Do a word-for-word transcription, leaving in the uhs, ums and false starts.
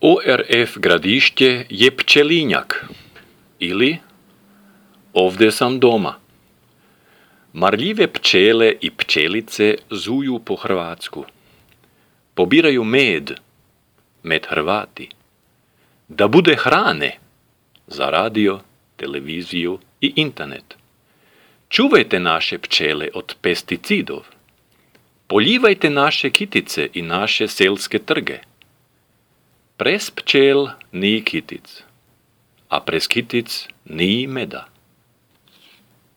O R F Gradišće je pčelinjak ili ovdje sam doma. Marljive pčele i pčelice zuju po Hrvatsku. Pobiraju med, med Hrvati, da bude hrane za radio, televiziju i internet. Čuvajte naše pčele od pesticidov. Poljivajte naše kitice i naše selske trge. Prez pčel ni kitic, a prez kitic ni meda.